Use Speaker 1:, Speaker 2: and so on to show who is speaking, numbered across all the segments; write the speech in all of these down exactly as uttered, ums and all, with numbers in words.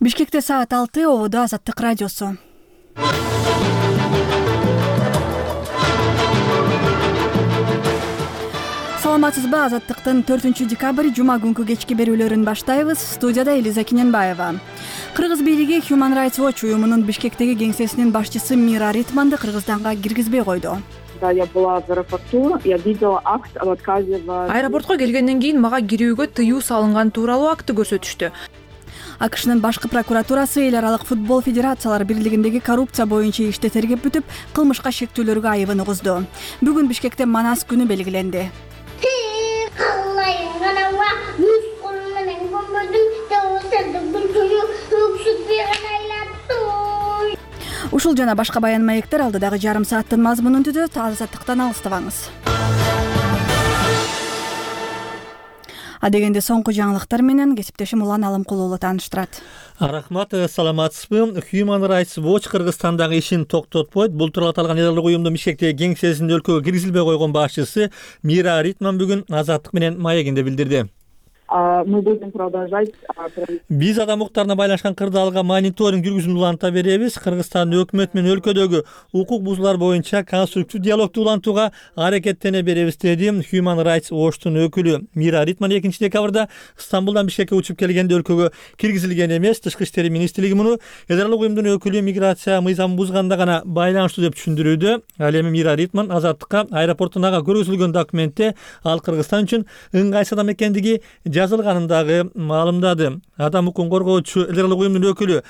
Speaker 1: Бишкекте саат алты, Ободо Азаттык радиосу. Саламатсызбы? Азаттыктын төртүнчү декабрь жума күнкү кечки берүүлөрүн баштайбыз. Студияда Элиза Кененбаева. Кыргыз бийлиги Human Rights Watch уюмунун Бишкектеги кеңсесинин башчысы Мира Ритманды Кыргызстанга киргизбей койду.
Speaker 2: Я была в аэропорту, я видела акт об отказе в...
Speaker 3: Аэропортко келгенден кийин мага кирүүгө тыюу салынган тууралуу акты көрсөтүштү.
Speaker 1: АКШнын башкы прокуратурасы эл аралык футбол федерациялар бирлигиндеги коррупция боюнча ишти тергеп бүтүп, кылмышка шектүүлөргө айыбын угузду. Бүгүн Бишкекте Манас күнү белгиленди. Ушул жана башка баян маектер алдыдагы жарым сааттын мазмунун түзөт. Азаттыктан алыстабаңыз. Адегенде соңку жаңылыктар менен кесиптешим Улан Алымкул уулу тааныштырат.
Speaker 4: Рахмат, саламатсызбы? Human Rights Watch Кыргызстандагы ишин токтотпойт. Бул тууралуу аталган эл аралык уюмдун Бишкектеги кеңсесинде өлкөгө киргизилбей койгон башчысы Мира Ритман бүгүн Азаттык менен маегинде билдирди.
Speaker 2: Мы будем продолжать.
Speaker 4: Биз адам укуктарына байланышкан кырдаалга мониторинг жүргүзүүнү уланта беребиз. Кыргызстандын өкмөтү менен өлкөдөгү укук бузуулар боюнча конструктив диалогду улантууга аракеттене беребиз, деди Human Rights Watchtун өкүлү. Мира Ритман экинчи декабрда Стамбулдан Бишкекке учуп келгенде өлкөгө киргизилген эмес. Тышкы иштер министрлиги муну эл аралык уюмдун өкүлү миграция мыйзамын бузганда гана байланыштуу деп түшүндүрүүдө. Ал эми Мира Ритман Азаттыкка аэропорттон ага көргөзүлгөн документте ал Кыргызстан үчүн ыңгайсыз адам экендиги жазылганын дагы маалымдады. Адам укугун коргоочу эл аралык уюмдун өкүлү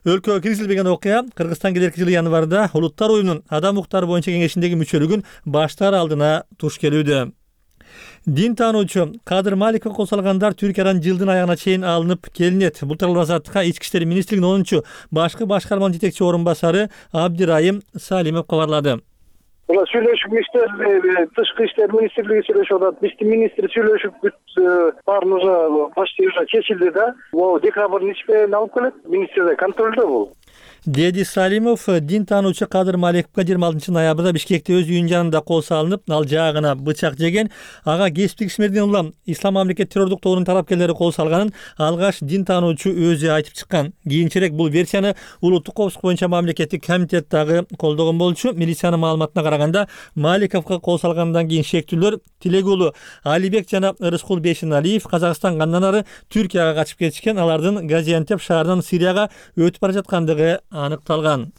Speaker 4: өлкөгө киргизилбеген окуя Кыргызстан келерки жылы январда Улуттар уюмунун адам укуктары боюнча кеңешиндеги мүчөлүгүн баштаар алдына туш келүүдө. Дин таануучу Кадыр Маликов кол салгандар Түркиядан жылдын аягына чейин алынып келинет. Бул тууралуу Азаттыкка ички иштер министрлигинин онунчу башкы башкарманын жетекчи орун басары Абдирайым Салимов кабарлады.
Speaker 5: Ула сүйлөшүп иштер, тышкы иштер министрлиги сүйлөшүп атат, биздин министр сүйлөшүп баарын уже почти уже чечилди да. Могу декабрдын ичпейин алып келет, министрде контролдо бул.
Speaker 4: Деди Салимов. Дин таануучу Кадыр Маликовго жыйырма алтынчы ноябрда Бишкекте өз үйүнүн жанында кол салынып, ал жаагына бычак жеген. Ага кесиптик ишмерден улам Ислам мамлекет террордук тобунун тарапкерлери кол салганын алгаш дин таануучу өзү айтып чыккан. Кийинчерээк бул версияны улуттук коопсуздук боюнча мамлекеттик комитет дагы колдогон болчу. Милициянын маалыматына караганда, Маликовго кол салгандан кийин шектүүлөр Тилек уулу Алибек жана Рыскул Бешеналиев Казакстанга андан ары Түркияга качып кетишкен. Алардын Газиантеп шаарынан Сирияга өтүп бара жаткандыгы аныкталган.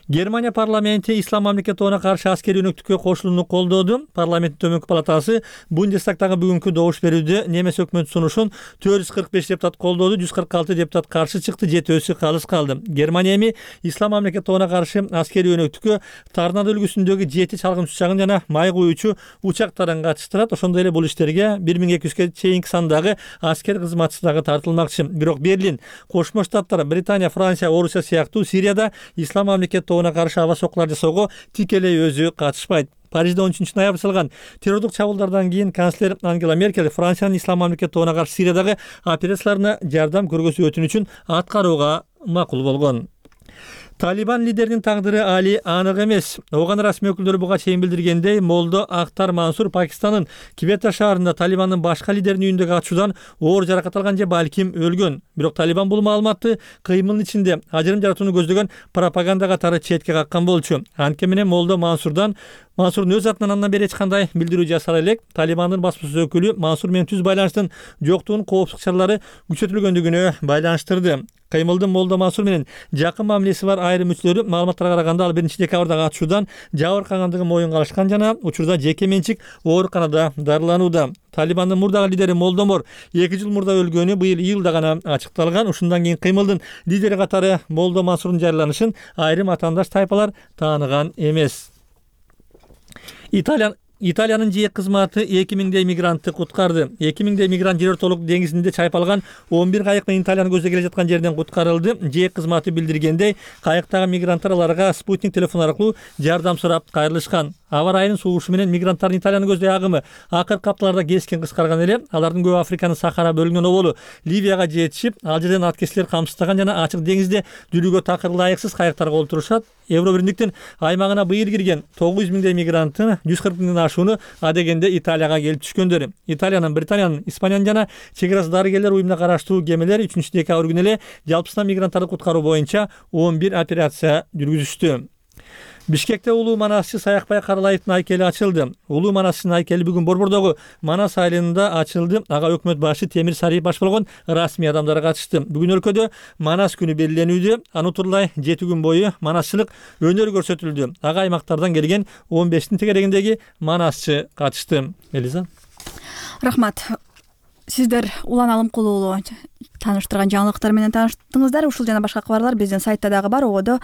Speaker 4: Германия парламенти Ислам мамлекет тобуна каршы аскерий өнөктүккө кошулууну колдоду. Парламенттин төмөнкү палатасы Бундестагдагы бүгүнкү добуш берүүдө немес өкмөт сунушун төрт жүз кырк беш депутат колдоду, жүз кырк алты депутат каршы чыкты, жетөөсү калыс калды. Германия эми Ислам мамлекет тобуна каршы аскерий өнөктүккө Торнадо үлгүсүндөгү жети чалгын учагын жана май куюучу учактарын катыштырат. Ошондой эле бул иштерге бир миң эки жүзгө чейинки сандагы аскер кызматчысы дагы тартылмакчы. Бирок Берлин, Кошмо Штаттар, Британия, Франция, Орусия сыяктуу Сирияда Ислам мамлекет тобуна каршы аба сокулар жасоого тикелей өзү катышпайт. Парижде он үчүнчү ноябрь жасалган террордук чабуулдардан кийин канцлер Ангела Меркель Франциянын Ислам мамлекет тобуна каршы Сириядагы операцияларына жардам көргөзүү өтүнүчүн аткарууга макул болгон. Талибан лидеринин тагдыры али анык эмес. Ооган расмий өкүлдөрү буга чейин билдиргендей, Молдо Ахтар Мансур Пакистандын Квета шаарында Талибандын башка лидеринин үйүндөгү атышуудан оор жаракат алган же балким өлгөн. Бирок Талибан бул маалыматты кыймылдын ичинде ажырым жаратууну көздөгөн пропаганда катары четке каккан болчу. Анткени менен Молдо Мансурдан Мансурдун өз атынан андан бери эч кандай билдирүү жасала элек. Талибандын баспасөз өкүлү Мансур менен түз байланыштын жоктугун коопсуздук чаралары күчөтүлгөндүгүнө байланыштырды. Кыймылдын Молдо Мансур менен жакын мамилеси бар айрым мүчөлөрү маалыматтарга караганда ал биринчи декабрдагы атышуудан жабыркагандыгын моюнга алышкан жана учурда жеке менчик ооруканада дарыланууда. Талибандын мурдагы лидери Молдомор эки жыл мурда өлгөнү быйыл июлда гана ачыкталган. Ушундан кийин кыймылдын лидери катары Молдо Мансурдун жарыяланышын айрым атаандаш тайпалар тааныган эмес. Италия Италиянын жээк кызматы эки миңдей мигрантты куткарды. эки миңдей мигрант жер ортолук деңизинде чайпалган он бир кайык менен Италияны көздөй келе жаткан жерден куткарылды. Жээк кызматы билдиргендей, кайыктагы мигранттар аларга спутник телефон аркылуу жардам сурап кайрылышкан. Аба ырайынын суугушу менен мигранттардын Италиянын көздөй агымы акыркы апталарда кескен кыскарган эле. Алардын көбү Африканын Сахара бөлүгүнөн оболу Ливияга жетишип, ал жерден аткечлер камсыздаган жана ачык деңизде жүрүүгө такыр ылайыксыз кайыктарга олтурушат. Евро биримдиктин аймагына быйыл кирген тогуз жүз миңдей мигранттын жүз кырк миңден ашууну адегенде Италияга келип түшкөндөр. Италиянын, Британиянын, Испаниянын жана чек арасы дарыгерлер уюмуна караштуу кемелер үчүнчү декабрь күнү эле жалпысынан мигранттарды куткаруу боюнча он бир операция жүргүзүштү. Бишкекте улуу манасчы Саякбай Каралаевдин айкели ачылды. Улуу манасчынын айкели бүгүн Борбордогу Манас айылында ачылды. Ага өкмөт башы Темир Сариев баш болгон расмий адамдар катышты. Бүгүн өлкөдө Манас күнү белгиленүүдө. Аны утурлай жети күн бою манасчылык өнөр көрсөтүлдү. Ага аймактардан келген он бештин тегерегиндеги манасчы катышты. Элиза.
Speaker 1: Рахмат. Сиздер Улан Алымкулуу тааныштырган жаңылыктар менен тааныштыңыздар. Ушул жана башка кабарлар биздин сайтта дагы бар. Ободо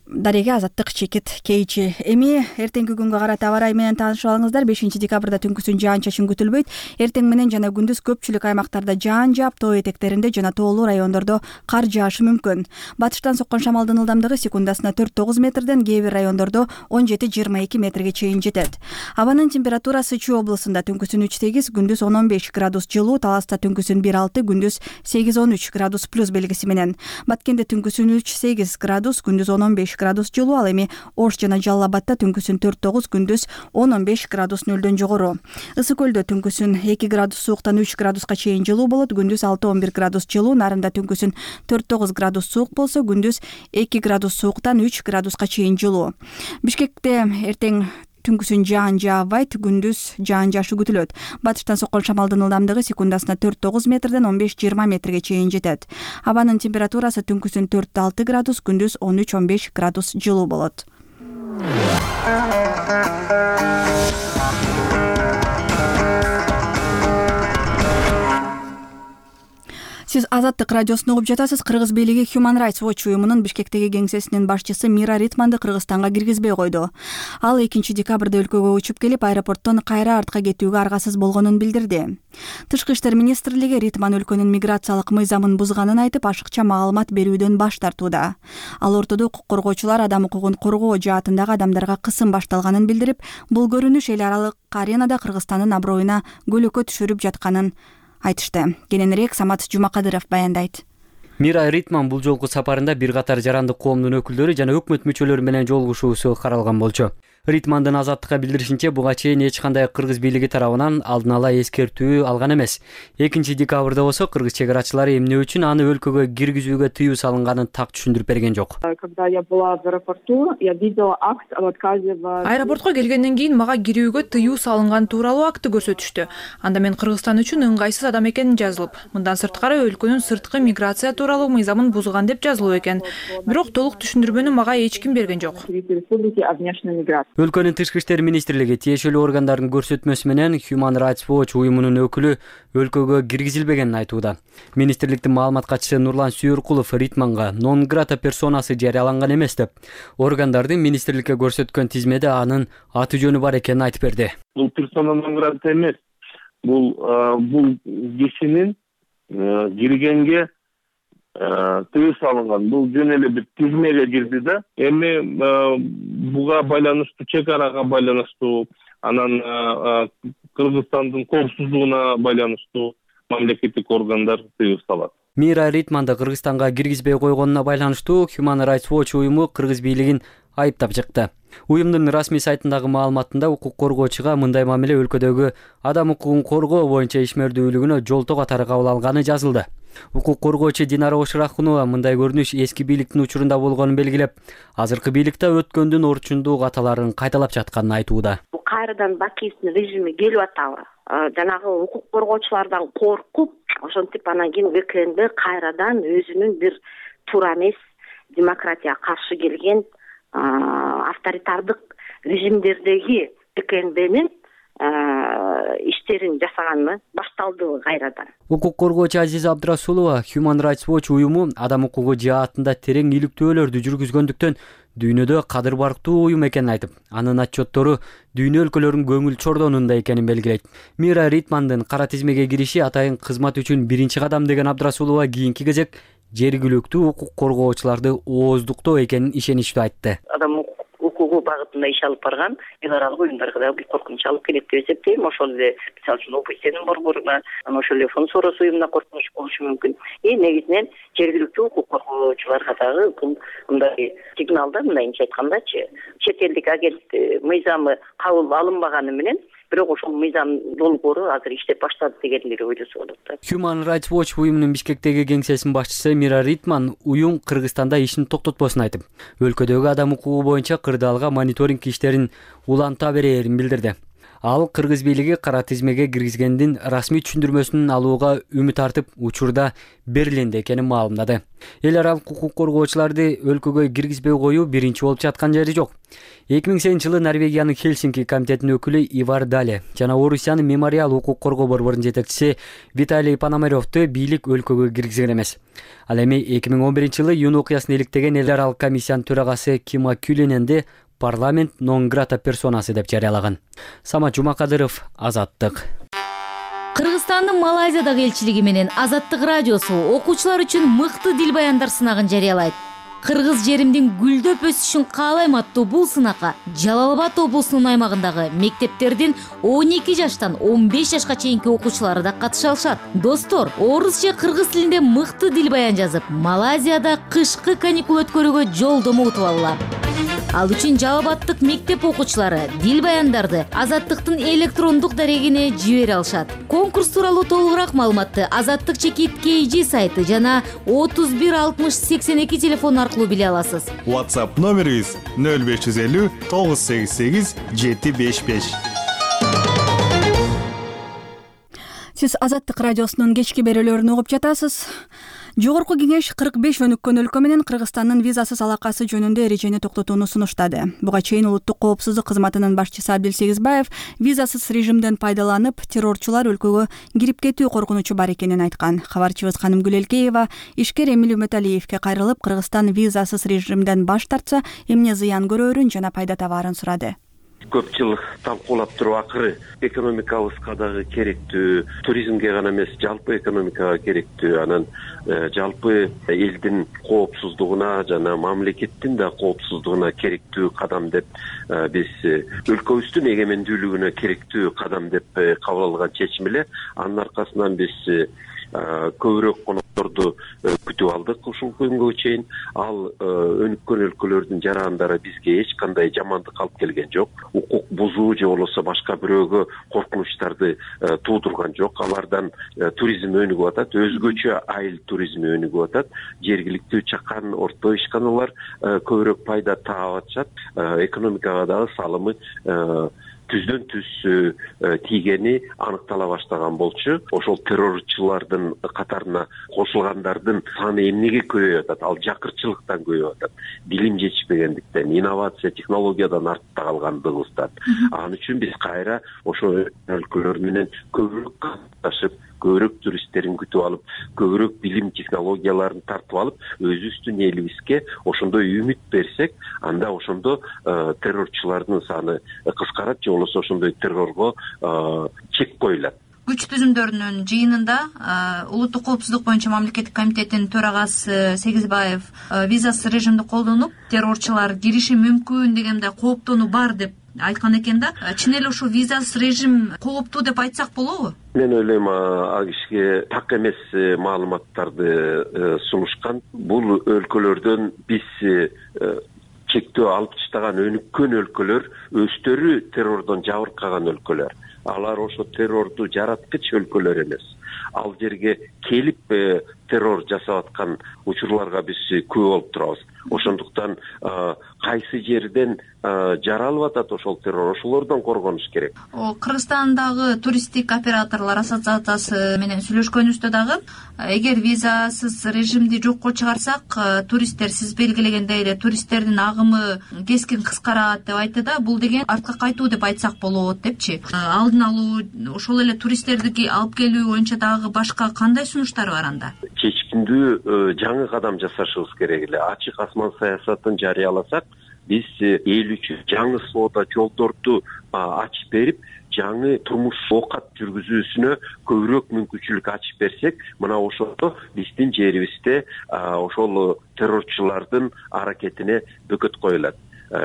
Speaker 1: Дарега Азаттык чекит кейчи. Эми эртеңки күнгө карата аба ырайы менен таанышып алыңыздар. бешинчи декабрда түнкүсүн жаан-чачын күтүлбөйт. Эртең менен жана күндүз көпчүлүк аймактарда жаан жаап, тоо этектеринде жана тоолуу райондордо кар жаашы мүмкүн. Батыштан соккон шамалдын ылдамдыгы секундасына төрт тогуз метрден, кээ бир райондордо он жети жыйырма эки метрге чейин жетет. Абанын температурасы Чүй облусунда түнкүсүн үч сегиз, күндүз он он беш градус жылуу, Таласта түнкүсүн бир алты, күндүз сегиз он үч градус плюс белгиси менен. Баткенде түнкүсүн үч сегиз градус, күндүз он он беш градус жылуу, ал эми Ош жана Жалал Абадта түнкүсүн төрт тогуз, күндүз он он беш градус нөлдөн жогору. Ысык көлдө түнкүсүн эки градус сууктан үч градуска чейин жылуу болот, күндүз алты он бир градус жылуу, Нарында түнкүсүн төрт тогуз градус суук болсо, күндүз эки градус сууктан үч градуска чейин жылуу. Бишкекте эртең түнкүсүн жаан жаабайт, күндүз жаан жаашы күтүлөт. Батыштан соккон шамалдын ылдамдыгы секундасына төрт тогуз метрден он беш жыйырма метрге чейин жетет. Абанын температурасы түнкүсүн төрт алты градус, күндүз он үч он беш градус жылуу болот. Сиз Азаттык радиосун угуп жатасыз. Кыргыз бийлиги Human Rights Watch уюмунун Бишкектеги кеңсесинин башчысы Мира Ритманды Кыргызстанга киргизбей койду. Ал экинчи декабрда өлкөгө учуп келип, аэропорттон кайра артка кетүүгө аргасыз болгонун билдирди. Тышкы иштер министрлиги Ритман өлкөнүн миграциялык мыйзамын бузганын айтып, ашыкча маалымат берүүдөн баш тартууда. Ал ортодо укук коргоочулар адам укугун коргоо жаатындагы адамдарга кысым башталганын билдирип, бул көрүнүш эл аралык аренада Кыргызстандын аброюна көлөкө түшүрүп жатканын айтышты. Кененирээк Самат Жумакадыров баяндайт.
Speaker 6: Мира Ритман бул жолку сапарында бир катар жарандык коомдун өкүлдөрү жана өкмөт мүчөлөрү менен жолугушуусу каралган болчу. Ритмандын Азаттыкка билдиришинче, буга чейин эч кандай кыргыз бийлиги тарабынан алдын ала эскертүү алган эмес. экинчи декабрда болсо кыргыз чек арачылары эмне үчүн аны өлкөгө киргизүүгө тыюу салынганын так түшүндүрүп берген жок.
Speaker 2: Когда я была в аэропорту, я видела акт об отказе в...
Speaker 3: Аэропортко келгенден кийин мага кирүүгө тыюу салынган тууралуу акты көрсөтүштү. Анда мен Кыргызстан үчүн ыңгайсыз адам экенин жазылып, мындан сырткары өлкөнүн сырткы миграция тууралуу мыйзамын бузган деп жазылуу экен. Бирок толук түшүндүрмөнү мага эч ким берген жок.
Speaker 6: Өлкөнүн тышкы иштер министрлиги тиешелүү органдардын көрсөтмөсү менен Human Rights Watch уюмунун өкүлү өлкөгө киргизилбегенин айтууда. Министрликтин маалымат катчысы Нурлан Сүйөркулов Ритманга non grata персонасы жарыяланган эмес деп, органдардын министрликке көрсөткөн тизмеде анын аты жөнү бар экенин айтып берди.
Speaker 7: Бул персона non grata эмес. Бул бул кишинин киргенге тыюу салынган. Бул жөн эле бир тизмеге кирди да. Эми буга байланыштуу, чек арага байланыштуу, анан Кыргызстандын коопсуздугуна байланыштуу мамлекеттик органдар тыюу салат.
Speaker 6: Мира Ритманды Кыргызстанга киргизбей койгонуна байланыштуу Human Rights Watch уюму кыргыз бийлигин айыптап чыкты. Уюмдун расмий сайтындагы маалыматында укук коргоочуга мындай мамиле өлкөдөгү адам укугун коргоо боюнча ишмердүүлүгүнө жолтоо катары кабыл алганы жазылды. Укук коргоочу Динара Оширахунова мындай көрүнүш эски бийликтин учурунда болгонун белгилеп, азыркы бийликте өткөндүн орчундуу каталарын кайталап жатканын айтууда.
Speaker 8: Бул кайрадан бакиевдин режими келип атабы? Жанагы укук коргоочулардан коркуп, ошентип анан кийин ВКНД кайрадан өзүнүн бир туура эмес демократияга каршы келген авторитардык режимдердеги ВКНДнин иштерин жасаганына башталды кайрадан.
Speaker 6: Укук коргоочу Азиза Абдрасулова Human Rights Watch уюму адам укугу жаатында терең иликтөөлөрдү жүргүзгөндүктөн дүйнөдө кадыр барктуу уюм экенин айтып, анын отчеттору дүйнө өлкөлөрүнүн көңүл чордонунда экенин белгилейт. Мира Ритмандын кара тизмеге кириши атайын кызмат үчүн биринчи кадам деген Абдрасулова кийинки кезек жергиликтүү укук коргоочуларды ооздуктоо экенин ишеничтүү айтты.
Speaker 8: Адам укугу багытында иш алып барган эл аралык уюмдарга да бир коркунуч алып келет деп эсептейм. Ошол эле мисалы үчүн ОБСЕнин борборуна, анан ошол эле фонд Сорос уюмуна коркунуч болушу мүмкүн. эми негизинен жергиликтүү укук коргоочуларга дагы мындай сигнал да, мындайынча айткандачы, чет элдик агент мыйзамы кабыл алынбаганы менен бирок ошол мыйзам долбоору азыр иштеп баштады дегендери ойлосо болот да.
Speaker 6: Human Rights Watch уюмунун Бишкектеги кеңсесинин башчысы Мира Ритман уюм Кыргызстанда ишин токтотпосун айтып, өлкөдөгү адам укугу боюнча кырдаалга мониторинг иштерин уланта берээрин билдирди. Ал кыргыз бийлиги кара тизмеге киргизгендин расмий түшүндүрмөсүн алууга үмүт артып, учурда Берлинде экенин маалымдады. Эл аралык укук коргоочуларды өлкөгө киргизбей коюу биринчи болуп жаткан жери жок. эки миң сегизинчи жылы Норвегиянын Хельсинки комитетинин өкүлү Ивар Дале жана Орусиянын Мемориал укук коргоо борборунун жетекчиси Виталий Пономаревду бийлик өлкөгө киргизген эмес. Ал эми эки миң он биринчи жылы июнь окуясын иликтеген эл аралык комиссиянын төрагасы Кима Кюлененди парламент нон грата персонасы деп жарыялаган. Самат Жумакадыров, Азаттык.
Speaker 9: Кыргызстандын Малайзиядагы элчилиги менен Азаттык радиосу окуучулар үчүн мыкты дил баяндар сынагын жарыялайт. Кыргыз жеримдин гүлдөп өсүшүн каалайм аттуу бул сынакка Жалал Абад облусунун аймагындагы мектептердин он эки жаштан он беш жашка чейинки окуучулары да катыша алышат. Достор, орус же кыргыз тилинде мыкты дил баян жазып, Малайзияда кышкы каникул өткөрүүгө жолдомо утуп алгыла. Ал үчүн Жалал Абадтык мектеп окуучулары дил баяндарды Азаттыктын электрондук дарегине жибере алышат. Конкурс тууралуу толугураак маалыматты Азаттык чекит кей джи сайты жана отуз бир алтымыш сексен эки телефон аркылуу биле аласыз.
Speaker 10: WhatsApp номерибиз нөл беш жүз элүү тогуз сегиз сегиз жети беш беш.
Speaker 1: Сиз Азаттык радиосунун кечки берүүлөрүн угуп жатасыз. Жогорку кеңеш кырк беш өнүккөн өлкө менен Кыргызстандын визасыз алакасы жөнүндө эрежени токтотууну сунуштады. Буга чейин улуттук коопсуздук кызматынын башчысы Абдил Сегизбаев визасыз режимден пайдаланып, террорчулар өлкөгө кирип кетүү коркунучу бар экенин айткан. Кабарчыбыз Канымгүл Элкеева ишкер Эмил Үмөталиевге кайрылып, Кыргызстан визасыз режимден баш тартса, эмне зыян көрөрүн жана пайда табаарын сурады.
Speaker 11: Көп жыл талкуулап туруп акыры экономикабызга дагы керектүү, туризмге гана эмес, жалпы экономикага керектүү, анан жалпы элдин коопсуздугуна жана мамлекеттин да коопсуздугуна керектүү кадам деп биз өлкөбүздүн эгемендүүлүгүнө керектүү кадам деп кабыл алган чечим эле. Анын аркасынан биз көбүрөөк конокторду күтүп алдык ушул күнгө чейин. Ал өнүккөн өлкөлөрдүн жарандары бизге эч кандай жамандык алып келген жок. Укук бузуу же болбосо башка бирөөгө коркунучтарды туудурган жок. Алардан туризм өнүгүп атат, өзгөчө айыл туризми өнүгүп атат. Жергиликтүү чакан, орто ишканалар көбүрөөк пайда таап атышат. Экономикага дагы салымы түздөн түз тийгени аныктала баштаган болчу. Ошол террорчулардын катарына кошулгандардын саны эмнеге көбөйүп атат? Ал жакырчылыктан көбөйүп атат. Билим жетишпегендиктен, инновация, технологиядан артта калгандыгыбыздан. Анын үчүн биз кайра ошол өлкөлөр менен көбүрөөк катташып, көбүрөөк туристтерин күтүп алып, көбүрөөк билим технологияларын тартып алып, өзүбүздүн элибизге ошондой үмүт берсек, анда ошондо террорчулардын саны кыскарат, же болбосо ошондой террорго чек коюлат.
Speaker 3: Күч түзүмдөрүнүн жыйынында улуттук коопсуздук боюнча мамлекеттик комитеттин төрагасы Сегизбаев визасыз режимди колдонуп, террорчулар кириши мүмкүн деген мындай кооптонуу бар деп айткан экен да. Чын эле ушул визасыз режим кооптуу деп айтсак болобу?
Speaker 11: Мен ойлойм, ал кишиге так эмес маалыматтарды сунушкан. Бул өлкөлөрдөн биз чектөө алып таштаган өнүккөн өлкөлөр өздөрү террордон жабыркаган өлкөлөр. Алар ошо террорду жараткыч өлкөлөр эмес. Ал жерге келип террор жасап аткан учурларга биз күбө болуп турабыз. Ошондуктан кайсы жерден жаралып атат ошол террор, ошолордон коргонуш керек.
Speaker 3: Кыргызстандагы туристтик операторлор ассоциациясы менен сүйлөшкөнүбүздө дагы, эгер визасыз режимди жокко чыгарсак, туристтер сиз белгилегендей эле туристтердин агымы кескин кыскарат деп айтты да. Бул деген артка кайтуу деп айтсак болот депчи. Алдын алуу, ошол эле туристтерди алып келүү боюнча дагы башка кандай сунуштар бар анда?
Speaker 11: Чечкиндүү жаңы кадам жасашыбыз керек эле. Ачык асман саясатын жарыяласак, биз эл үчүн жаңы соода жолдорду ачып берип, жаңы турмуш оокат жүргүзүүсүнө көбүрөөк мүмкүнчүлүк ачып берсек, мына ошондо биздин жерибизде ошол террорчулардын аракетине бөкөт коюлат,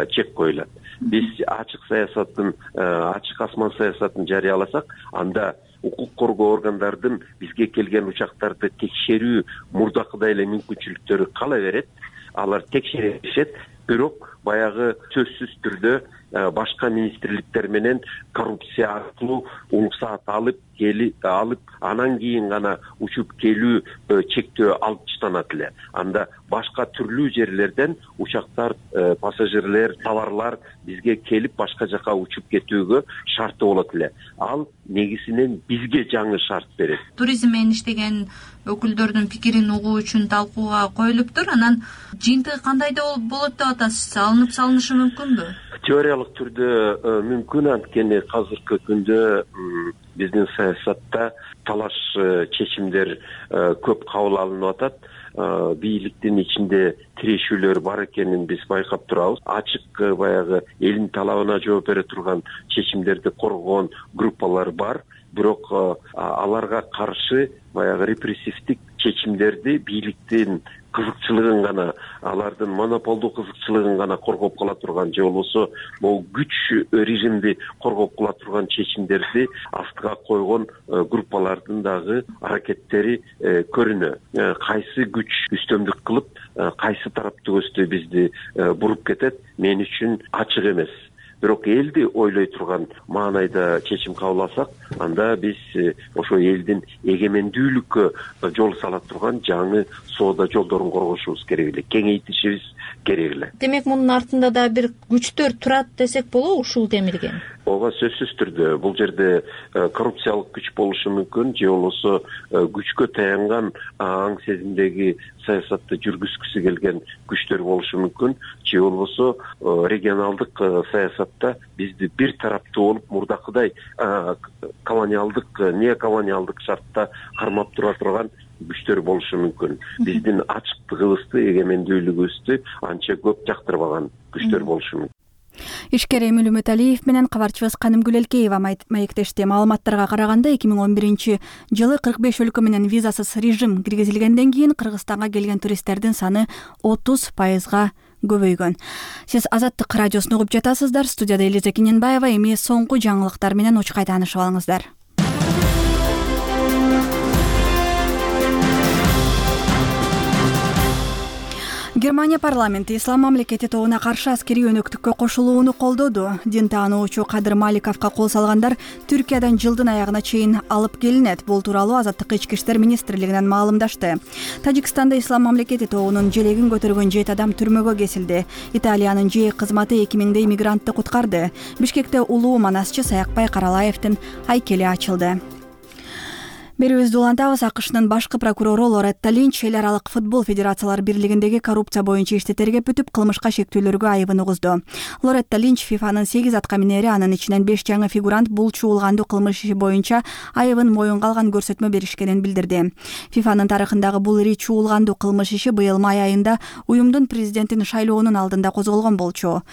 Speaker 11: чек коюлат. Биз ачык саясатын, ачык асман саясатын жарыяласак, анда укук коргоо органдардын бизге келген учактарды текшерүү мурдакыдай эле мүмкүнчүлүктөрү кала берет. Алар текшере беришет, бирок баягы сөзсүз түрдө башка министрликтер менен коррупция аркылуу уруксаат алып келип алып анан кийин гана учуп келүү чектөө алып таштанат эле. Анда башка түрлүү жерлерден учактар, пассажирлер, товарлар бизге келип башка жака учуп кетүүгө шарты болот эле. Ал негизинен бизге жаңы шарт берет.
Speaker 12: Туризм менен иштеген өкүлдөрдүн пикирин угуу үчүн талкууга коюлуптур. Анан жыйынтыгы кандай болот деп атасыз? Алынып салынышы мүмкүнбү?
Speaker 11: Теориялык түрдө мүмкүн, анткени азыркы күндө биздин саясатта талаш чечимдер көп кабыл алынып атат. Бийликтин ичинде тирешүүлөр бар экенин биз байкап турабыз. Ачык баягы элдин талабына жооп бере турган чечимдерди коргогон группалар бар, бирок аларга каршы баягы репрессивдик чечимдерди бийликтин кызыкчылыгын гана, алардын монополдуу кызыкчылыгын гана коргоп кала турган же болбосо могу күч режимди коргоп кала турган чечимдерди астыга койгон группалардын дагы аракеттери көрүнөт. Кайсы күч үстөмдүк кылып, кайсы тарапты көздөй бизди буруп кетет, мен үчүн ачык эмес. Бирок элди ойлой турган маанайда чечим кабыл алсак, анда биз ошо элдин эгемендүүлүккө жол сала турган жаңы соода жолдорун коргошубуз керек эле, кеңейтишибиз керек эле.
Speaker 12: Демек, мунун артында да бир күчтөр турат десек болобу ушул демилген?
Speaker 11: Ооба, сөзсүз түрдө бул жерде коррупциялык күч болушу мүмкүн, же болбосо күчкө таянган аң сезимдеги саясатты жүргүзгүсү келген күчтөр болушу мүмкүн, же болбосо регионалдык саясатта бизди бир тараптуу болуп мурдакыдай колониалдык, не колониалдык шартта кармап тура турган күчтөр болушу мүмкүн. Биздин ачыктыгыбызды, эгемендүүлүгүбүздү анча көп жактырбаган күчтөр болушу мүмкүн.
Speaker 1: Ишкер Эмил Үмүталиев менен кабарчыбыз Канымгүл Элкеева маектешти. Маалыматтарга караганда эки миң он биринчи жылы кырк беш өлкө менен визасыз режим киргизилгенден кийин Кыргызстанга келген туристтердин саны отуз пайызга көбөйгөн. Сиз Азаттык радиосун угуп жатасыздар. Студияда Элиза Кененбаева. Эми соңку жаңылыктар менен учкай таанышып алыңыздар. Германия парламенти Ислам мамлекети тобуна каршы аскерий өнөктүккө кошулууну колдоду. Дин таануучу Кадыр Маликовго кол салгандар Түркиядан жылдын аягына чейин алып келинет. Бул тууралуу Азаттык ички иштер министрлигинен маалымдашты. Тажикстанда Ислам мамлекети тобунун желегин көтөргөн жети адам түрмөгө кесилди. Италиянын жээк кызматы эки миңдей мигрантты куткарды. Бишкекте улуу манасчы Саякбай Каралаевдин айкели ачылды. Берүүбүздү улантабыз. АКШнын башкы прокурору Лоретта Линч эл аралык футбол федерациялар бирлигиндеги коррупция боюнча ишти тергеп бүтүп, кылмышка шектүүлөргө айыбын угузду. Лоретта Линч ФИФАнын сегиз атка минери, анын ичинен беш жаңы фигурант бул чуулгандуу кылмыш иши боюнча айыбын моюнга алган көрсөтмө беришкенин билдирди. ФИФАнын тарыхындагы бул ири чуулгандуу кылмыш иши быйыл май айында уюмдун президентин шайлоонун алдында козголгон болчу.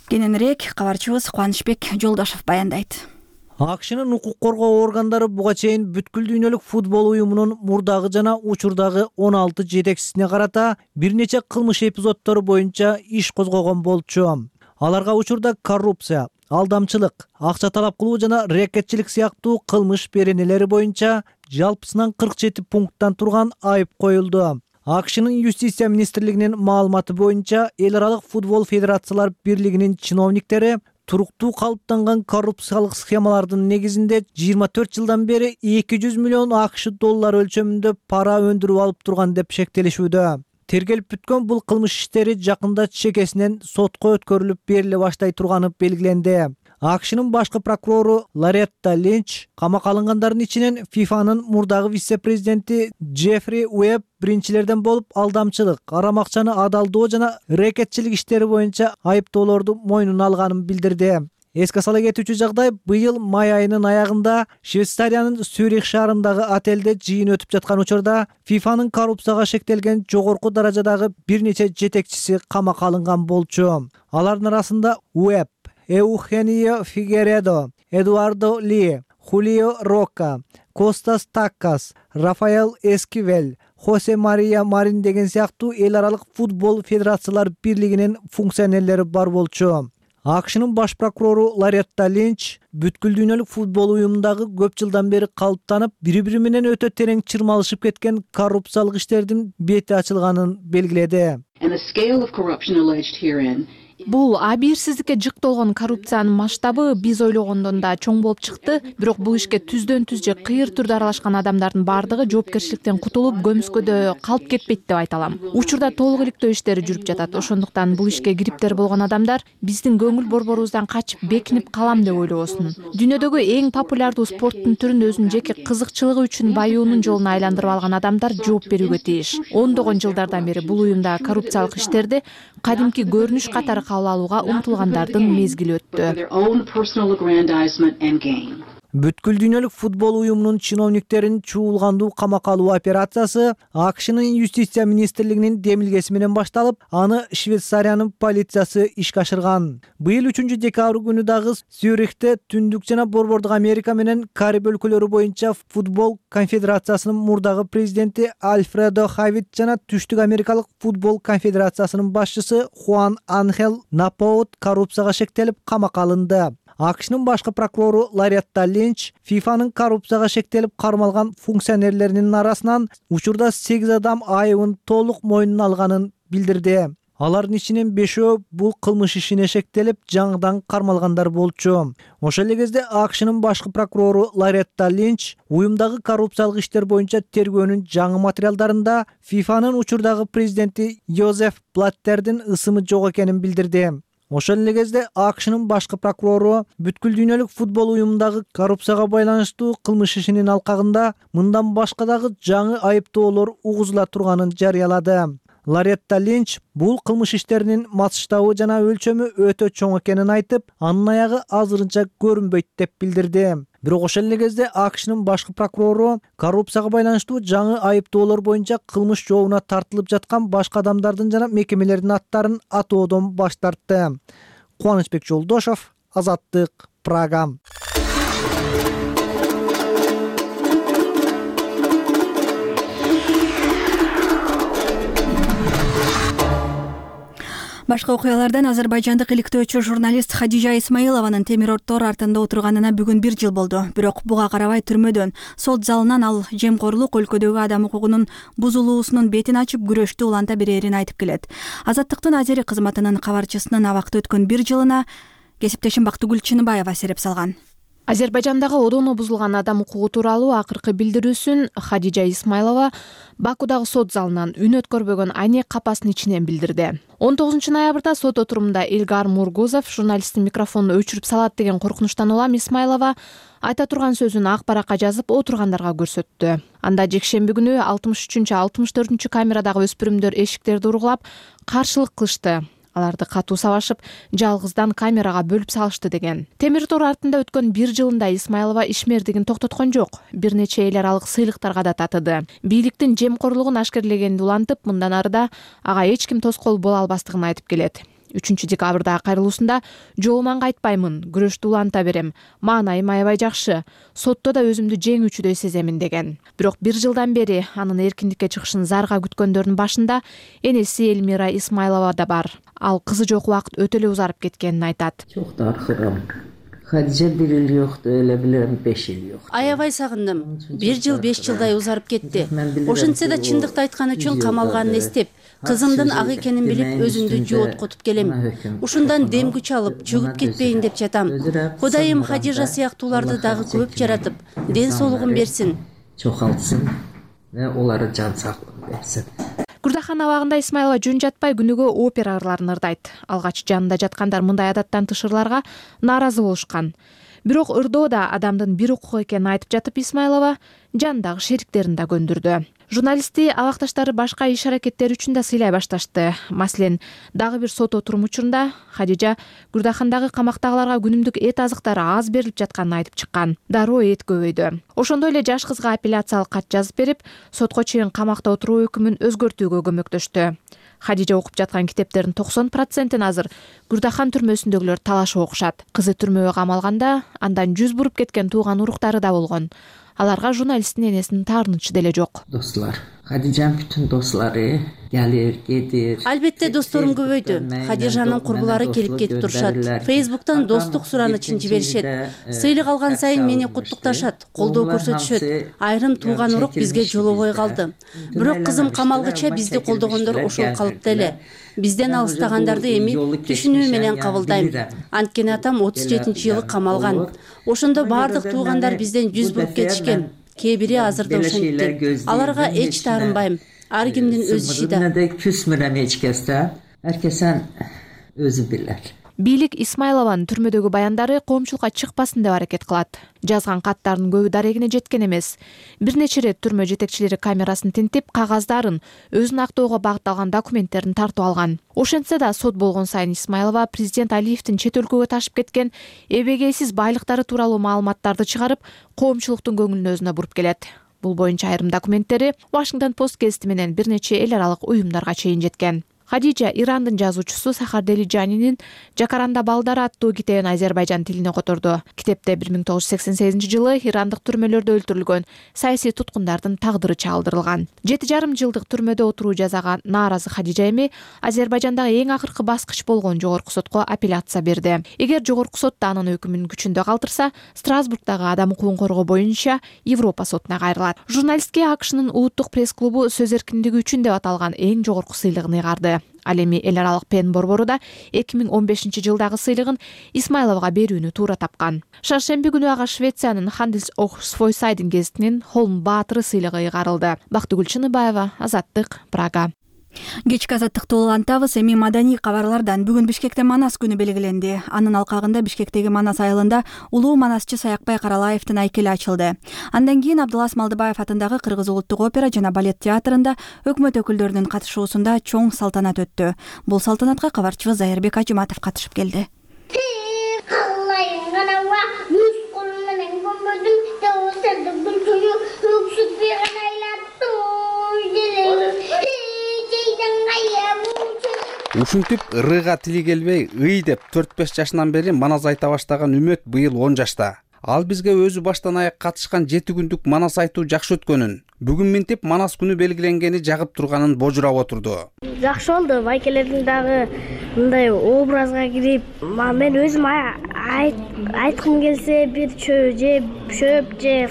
Speaker 1: Кененирээк кабарчыбыз Кубанычбек Жолдошов баяндайт.
Speaker 13: АКШнын укук коргоо органдары буга чейин бүткүл дүйнөлүк футбол уюмунун мурдагы жана учурдагы он алты жетекчисине карата бир нече кылмыш эпизоддору боюнча иш козгогон болчу. Аларга учурда коррупция, алдамчылык, акча талап кылуу жана рекетчилик сыяктуу кылмыш беренелери боюнча жалпысынан кырк жети пункттан турган айып коюлду. АКШнын юстиция министрлигинин маалыматы боюнча эл аралык футбол федерациялар бирлигинин чиновниктери туруктуу калыптанган коррупциялык схемалардын негизинде жыйырма төрт жылдан бери эки жүз миллион АКШ доллары өлчөмүндө пара өндүрүп алып турган деп шектелишүүдө. Тергелип бүткөн бул кылмыш иштери жакында чекесинен сотко өткөрүлүп бериле баштай турганы белгиленди. АКШнын башкы прокурору Лоретта Линч камакка алынгандардын ичинен ФИФАнын мурдагы вице-президенти Джеффри Уэбб биринчилерден болуп, алдамчылык, арам акчаны адалдоо жана рекетчилик иштери боюнча айыптоолорду мойнуна алганын билдирди. Эске сала кетүүчү жагдай, быйыл май айынын аягында Швейцариянын Цюрих шаарындагы отелде жыйын өтүп жаткан учурда ФИФАнын коррупцияга шектелген жогорку даражадагы бир нече жетекчиси камакка алынган болчу. Алардын арасында Уэбб, Эухенио Фигередо, Эдуардо Ли, Хулио Рока, Костас Таккас, Рафаэл Эскивель, Хосе Мария Марин деген сыяктуу эл аралык футбол федерациялар бирлигинин функционерлери бар болчу. акшнын баш прокурору Лоретта Линч бүткүл дүйнөлүк футбол уюмундагы көп жылдан бери калыптанып, бири-бири менен өтө терең чырмалышып кеткен коррупциялык иштердин бети ачылганын белгиледи.
Speaker 14: Бул абийирсиздикке жыкталган коррупциянын масштабы биз ойлогондон да чоң болуп чыкты, бирок бул ишке түздөн түз же кыйыр түрдө аралашкан адамдардын баардыгы жоопкерчиликтен кутулуп, көмүскөдө калып кетпейт деп айта алам. Учурда толук иликтөө иштери жүрүп жатат. Ошондуктан бул ишке кириптер болгон адамдар биздин көңүл борборубуздан качып бекинип калам деп ойлобосун. Дүйнөдөгү эң популярдуу спорттун түрүн өзүнүн жеке кызыкчылыгы үчүн баюунун жолуна айландырып алган адамдар жооп берүүгө тийиш. Ондогон жылдардан бери бул уюмда коррупциялык иштерди кадимки көрүнүш катары кабыл алууга умтулгандардын мезгили өттү.
Speaker 13: Бүткүл дүйнөлүк футбол уюмунун чиновниктерин чуулгандуу камакка алуу операциясы акшнын юстиция министрлигинин демилгеси менен башталып, аны Швейцариянын полициясы ишке ашырган. Быйыл үчүнчү декабрь күнү дагы Цюрихте Түндүк жана Борбордук Америка менен Кариб өлкөлөрү боюнча футбол конфедерациясынын мурдагы президенти Альфредо Хавит жана Түштүк Америкалык футбол конфедерациясынын башчысы Хуан Анхел Напоут коррупцияга шектелип камакка алынды. акшнын башкы прокурору Лоретта Линч фифанын коррупцияга шектелип кармалган функционерлеринин арасынан учурда сегиз адам айыбын толук мойнуна алганын билдирди. Алардын ичинен бешөө бул кылмыш ишине шектелип жаңыдан кармалгандар болчу. Ошол эле кезде акшнын башкы прокурору Лоретта Линч уюмдагы коррупциялык иштер боюнча тергөөнүн жаңы материалдарында фифанын учурдагы президенти Йозеф Блаттердин ысымы жок экенин билдирди. Ошол эле кезде акшнын башкы прокурору бүткүл дүйнөлүк футбол уюмундагы коррупцияга байланыштуу кылмыш ишинин алкагында мындан башка дагы жаңы айыптоолор угузула турганын жарыялады. Лоретта Линч бул кылмыш иштеринин масштабы жана өлчөмү өтө чоң экенин айтып, анын аягы азырынча көрүнбөйт деп билдирди. Бирок ошол эле кезде акшнын башкы прокурору коррупцияга байланыштуу жаңы айыптоолор боюнча кылмыш жообуна тартылып жаткан башка адамдардын жана мекемелердин аттарын атоодон баш тартты. Кубанычбек Жолдошов, Азаттык, Прага.
Speaker 1: Башка окуялардан Азербайжандык иликтөөчү журналист Хадижа Исмаилованын темир тор артында отурганына бүгүн бир жыл болду. Бирок буга карабай түрмөдөн, сот залынан ал жемкорлук өлкөдөгү адам укугунун бузулуусунун бетин ачып күрөштү уланта берерин айтып келет. Азаттыктын азери кызматынын кабарчысынын абакта өткөн бир жылына кесиптешим Бактыгүл Чыныбаева сереп салган.
Speaker 14: Азербайжандагы одоно бузулган адам укугу тууралуу акыркы билдирүүсүн Хадижа Исмаилова Бакудагы сот залынан үн өткөрбөгөн айнек капасынын ичинен билдирди. он тогузунчу ноябрда сот отурумунда Илгар Мургузов журналисттин микрофонун өчүрүп салат деген коркунучтан улам Исмаилова айта турган сөзүн ак баракка жазып отургандарга көрсөттү. Анда жекшемби күнү алтымыш үчүнчү алтымыш төртүнчү камерадагы өспүрүмдөр эшиктерди ургулап каршылык кылышты. Аларды катуу сабашып, жалгыздан камерага бөлүп салышты деген. Темир тор артында өткөн бир жылында Исмаилова ишмердигин токтоткон жок. Бир нече эл аралык сыйлыктарга да татыды. Бийликтин жемкорлугун ашкерлегенди улантып, мындан арыда ага эч ким тоскоол боло албастыгын айтып келет. үчүнчү декабрда кайрылуусунда жолуман кайтпаймын, күрөштү уланта берем, маанайым аябай жакшы, сотто да өзүмдү жеңүүчүдөй сеземин деген. Бирок бир жылдан бери анын эркиндикке чыгышын зарга күткөндөрдүн башында энеси Элмира Исмаилова да бар. Ал кызы жок убакыт өтө эле узарып кеткенин айтат.
Speaker 15: Çok da arxıram. Хадижа бир эл жокtu, эле билем беш эл жок.
Speaker 16: Аябай сагындым. Бир жыл беш жылдай узарып кетти. Ошентсе да чындыкты айткан үчүн камалганын эстеп, кызымдын ак экенин билип өзүмдү жооткотуп келем. Ушундан дем күч алып, чөгүп кетпейин деп жатам. Кудайым Хадижа сыяктууларды дагы көп жаратып, ден соолугун берсин.
Speaker 15: Чокалтсын ve олары жан сактыгын берсин.
Speaker 14: Курдахан абагында Исмаилова жөн жатпай күнүгө опера ырларын ырдайт. Алгач жанында жаткандар мындай адаттан тыш ырларга нааразы болушкан. Бирок ырдоо да адамдын бир укугу экенин айтып жатып Исмаилова жандагы шериктерин да көндүрдү. Журналистти абакташтары башка иш аракеттери үчүн да сыйлай башташты. Маселен, дагы бир сот отуруму учурунда Хадижа Курдахандагы камактагыларга күнүмдүк эт азыктары аз берилип жатканын айтып чыккан. Дароо эт көбөйдү. Ошондой эле жаш кызга апелляциялык кат жазып берип, сотко чейин камакта отуруу өкүмүн өзгөртүүгө көмөктөштү. Хадижа окуп жаткан китептердин токсон процентин азыр Курдахан түрмөсүндөгүлөр талашып окушат. Кызы түрмөгө камалганда андан жүз буруп кеткен тууган уруктары да болгон. Аларга журналисттин энесинин таарынычы деле жок.
Speaker 15: Достlar, Хадижанын бүтүн достору келир, кетир.
Speaker 16: Албетте досторум көбөйдү. Хадижанын курбулары келип кетип турушат. Фейсбуктан достук суранычын жиберишет. Сыйлык алган сайын мени куттукташат, колдоо көрсөтүшөт. Айрым тууган урук бизге жолобой калды. Бирок кызым камалгыча бизди колдогондор ошол калыпта эле. Бизден алыстагандарды эми түшүнүү менен кабылдайм. Анткени атам отуз жетинчи жылы камалган. Ошондо баардык туугандар бизден жүз буруп кетишкен. Кээ бири азыр да ошентти. Аларга эч таарынбайм. Ар кимдин өз иши да.
Speaker 15: Küsmürem эч кесте. Herkesen өзү билер.
Speaker 14: Бийлик Исмайлованын түрмөдөгү баяндары коомчулукка чыкпасын деп аракет кылат. Жазган каттарынын көбү дарегине жеткен эмес. Бир нече ирет түрмө жетекчилери камерасын тинтип, кагаздарын, өзүн актоого багытталган документтерин тартып алган. Ошентсе да сот болгон сайын Исмайлова президент Алиевдин чет өлкөгө ташып кеткен эбегейсиз байлыктары тууралуу маалыматтарды чыгарып, коомчулуктун көңүлүн өзүнө буруп келет. Бул боюнча айрым документтери Washington Post гезити менен бир нече эл аралык уюмдарга чейин жеткен. Хадижа Ирандын жазуучусу Сахар Делижанинин Жакаранда балдары аттуу китебин Азербайжан тилине которду. Китепте бир миң тогуз жүз сексен сегизинчи жылы ирандык түрмөлөрдө өлтүрүлгөн саясий туткундардын тагдыры чагылдырылган. Жети жарым жылдык түрмөдө отуруу жазага нааразы Хадижа эми Азербайжандагы эң акыркы баскыч болгон жогорку сотко апелляция берди. Эгер жогорку сот анын өкүмүн күчүндө калтырса, Страсбургдагы адам укугун коргоо боюнча Европа сотуна кайрылат. Журналистке АКШнын улуттук пресс-клубу сөз эркиндиги үчүн деп аталган эң жогорку сыйлыгын ыйгарды. Ал эми эл аралык пен борбору да эки миң он бешинчи жылдагы сыйлыгын Исмайловго берүүнү туура тапкан. Шаршемби күнү ага Швециянын Handels och Sjösiden гезитинин Холм Баатыры сыйлыгы ыйгарылды. Бактыгүл Чыныбаева, Азаттык, Прага.
Speaker 1: Кечки азаттыкты улантабыз. Эми маданий кабарлардан бүгүн Бишкекте Манас күнү белгиленди. Анын алкагында Бишкектеги Манас айылында улуу манасчы Саякбай Каралаевдин айкели ачылды. Андан кийин Абдулас Малдыбаев атындагы Кыргыз улуттук опера жана балет театрында өкмөт өкүлдөрүнүн катышуусунда чоң салтанат өттү. Бул салтанатка кабарчыбыз Зайырбек Ажыматов катышып келди.
Speaker 17: Ушинтип ырыга тили келбей ый деп төрт беш жашынан бери манас айта баштаган Үмөт быйыл он жашта. Ал бизге өзү баштан аяк катышкан жети күндүк манас айтуу жакшы өткөнүн, бүгүн минтип манас күнү белгиленгени жагып турганын божурап отурду.
Speaker 18: Жакшы болду, байкелердин дагы мындай образга кирип, мен өзүм айткым келсе бир чөп же шөп же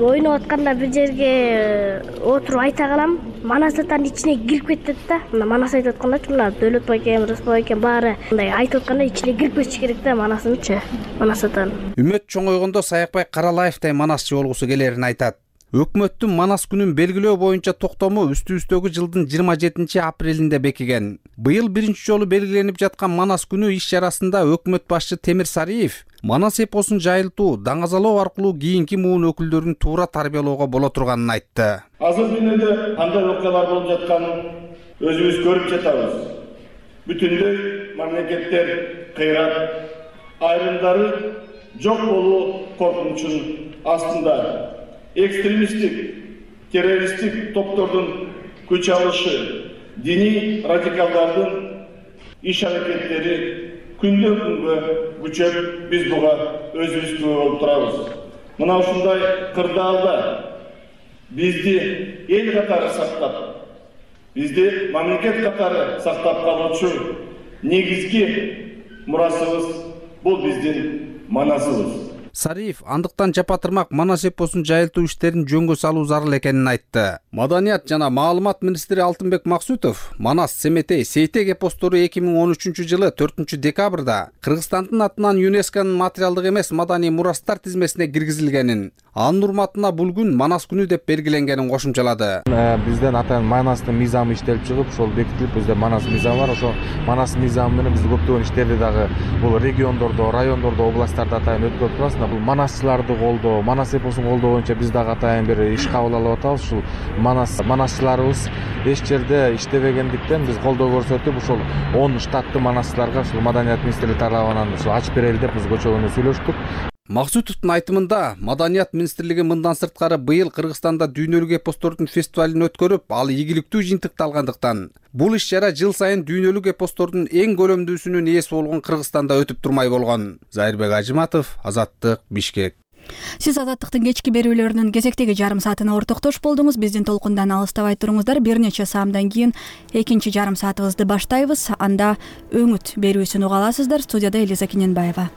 Speaker 18: ойноп атканда бир жерге отуруп айта калам. Манас атанын ичине кирип кетет да. Мына манас айтып аткандачы мына Дөөлөт байкем, Рыспай байкем баары мындай айтып атканда ичине кирип кетиш керек да манасынчы. Манас атан.
Speaker 17: Үмөт чоңойгондо Саякбай Каралаевтай манасчы болгусу келерин айтат. Өкмөттүн манас күнүн белгилөө боюнча токтому үстүбүздөгү жылдын жыйырма жетинчи апрелинде бекиген. Быйыл биринчи жолу белгиленип жаткан манас күнү иш чарасында өкмөт башчы Темир Сариев манас эпосун жайылтуу, даңазалоо аркылуу кийинки муун өкүлдөрүн туура тарбиялоого боло турганын айтты.
Speaker 19: Азыр дүйнөдө кандай окуялар болуп жатканын өзүбүз көрүп жатабыз. Бүтүндөй мамлекеттер кыйрап, айрымдары жок болуу коркунучунун астында. Экстремисттик, террористтик топтордун күч алышы, диний радикалдардын иш аракеттери күндөн күнгө күчөп, биз буга өзүбүз күбө болуп турабыз. Мына ушундай кырдаалда бизди эл катары сактап, бизди мамлекет катары сактап калуучу негизги мурасыбыз бул биздин манасыбыз.
Speaker 17: Сариев андыктан жапатырмак манас эпосун жайылтуу иштерин жөнгө салуу зарыл экенин айтты. Маданият жана маалымат министри Алтынбек Максутов Манас, Семетей, Сейтек эпостору эки миң он үчүнчү жылы төртүнчү декабрда Кыргызстандын атынан ЮНЕСКОнун материалдык эмес маданий мурастар тизмесине киргизилгенин, анын урматына бул күн Манас күнү деп белгиленгенин кошумчалады.
Speaker 20: Бизден атайын Манастын мыйзамы иштелип чыгып, ошол бекитилип, бизде Манас мыйзамы бар. Ошо Манас мыйзамы менен биз көптөгөн иштерди дагы бул региондордо, райондордо, областтарда атайын өткөрүп турабыз. Бул манасчыларды колдоо, манас эпосун колдоо боюнча биз дагы атайын бир иш кабыл алып атабыз. Ушул манас манасчыларыбыз эч жерде иштебегендиктен биз колдоо көрсөтүп, ушул он штаттуу манасчыларга ушул Маданият министрлиги тарабынан ушул ачып берели деп биз көчөгөнү сүйлөштүк.
Speaker 17: Максутовдун айтымында Маданият министрлиги мындан сырткары быйыл Кыргызстанда дүйнөлүк эпостордун фестивалин өткөрүп, ал ийгиликтүү жыйынтыкталгандыктан бул иш чара жыл сайын дүйнөлүк эпостордун эң көлөмдүүсүнүн ээси болгон Кыргызстанда өтүп турмай болгон. Зайырбек Ажыматов, Азаттык, Бишкек.
Speaker 1: Сиз Азаттыктын кечки берүүлөрүнүн кезектеги жарым саатына ортоктош болдуңуз. Биздин толкундан алыстабай туруңуздар. Бир нече саамдан кийин экинчи жарым саатыбызды баштайбыз. Анда өңүт берүүсүн уга аласыздар. Студияда Элиза Кененбаева.